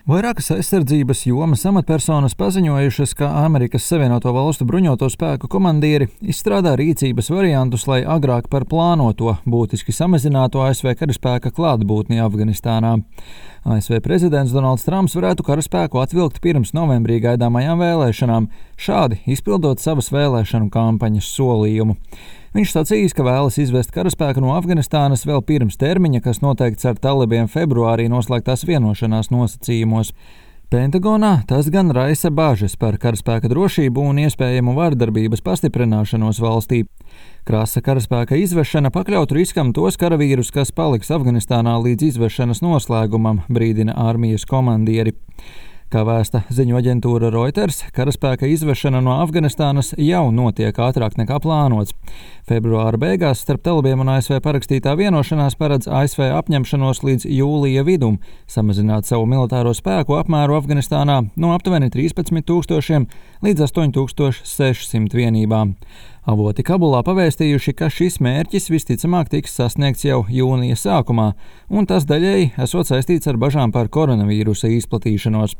Vairākas aizsardzības jomas amatpersonas paziņojušas, ka Amerikas Savienoto Valstu bruņoto spēku komandieri izstrādā rīcības variantus, lai agrāk par plānoto būtiski samazinātu ASV karaspēka klātbūtni Afganistānā. ASV prezidents Donalds Trumps varētu karaspēku atvilkt pirms novembrī gaidāmajām vēlēšanām, šādi izpildot savas vēlēšanu kampaņas solījumu. Viņš sacījis, ka vēlas izvest karaspēku no Afganistānas vēl pirms termiņa, kas noteikts ar talibiem februārī noslēgtās vienošanās nosacījumos. Pentagonā tas gan raisa bažas par karaspēka drošību un iespējamu vardarbības pastiprināšanos valstī. Krasa karaspēka izvešana pakļautu riskam tos karavīrus, kas paliks Afganistānā līdz izvešanas noslēgumam, brīdina armijas komandieri. Kā vēsta ziņu aģentūra Reuters, karaspēka izvešana no Afganistānas jau notiek ātrāk nekā plānots. Februāra beigās starp talibiem un ASV parakstītā vienošanās paredz ASV apņemšanos līdz jūlija vidum samazināt savu militāro spēku apmēru Afganistānā no aptuveni 13,000 līdz 8,600 vienībām. Avoti Kabulā pavēstījuši, ka šis mērķis visticamāk tiks sasniegts jau jūnija sākumā, un tas daļēji esot saistīts ar bažām par koronavīrusa izplatīšanos.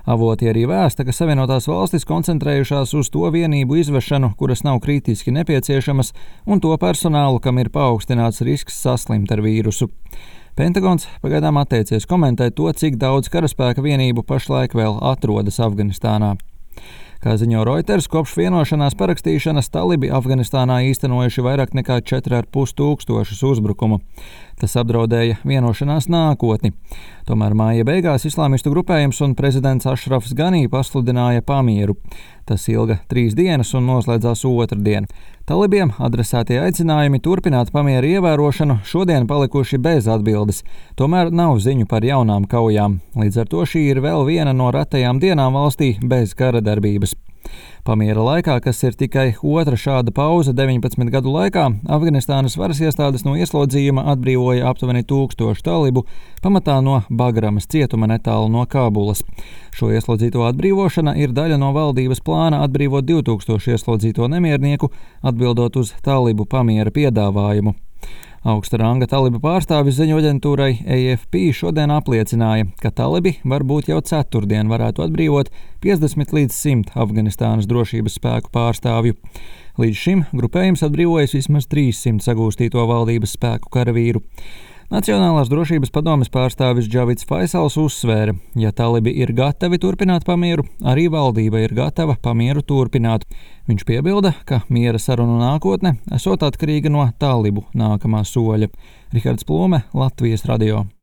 Avoti arī vēsta, ka Savienotās valstis koncentrējušās uz to vienību izvešanu, kuras nav kritiski nepieciešamas, un to personālu, kam ir paaugstināts risks saslimt ar vīrusu. Pentagons pagaidām atteicies komentēt to, cik daudz karaspēka vienību pašlaik vēl atrodas Afganistānā. Kā ziņo Reuters, kopš vienošanās parakstīšanas talibi Afganistānā īstenojuši vairāk nekā 4,500 uzbrukumu. Tas apdraudēja vienošanās nākotni. Tomēr māja beigās islāmistu grupējums un prezidents Ašrafs Ganī pasludināja pamieru. Tas ilga 3 dienas un noslēdzās otrdien. Talibiem adresētie aicinājumi turpināt pamieru ievērošanu šodien palikuši bez atbildes. Tomēr nav ziņu par jaunām kaujām. Līdz ar to šī ir vēl viena no retajām dienām valstī bez kara darbības. Pamiera laikā, kas ir tikai otra šāda pauze 19 gadu laikā, Afganistānas varas iestādes no ieslodzījuma atbrīvoja aptuveni 1000 talibu, pamatā no Bagramas cietuma netālu no Kabulas. Šo ieslodzīto atbrīvošana ir daļa no valdības plāna atbrīvot 2000 ieslodzīto nemiernieku, atbildot uz talibu pamiera piedāvājumu. Augsta ranga talibu pārstāvis ziņu aģentūrai AFP šodien apliecināja, ka talibi varbūt jau ceturtdien varētu atbrīvot 50 līdz 100 Afganistānas drošības spēku pārstāvju. Līdz šim grupējums atbrīvojas vismaz 300 sagūstīto valdības spēku karavīru. Nacionālās drošības padomes pārstāvis Džavids Faisals uzsvēra, ja talibi ir gatavi turpināt pamieru, arī valdība ir gatava pamieru turpināt. Viņš piebilda, ka miera sarunu nākotne esot atkarīga no talibu nākamā soļa. Rihards Plome, Latvijas radio.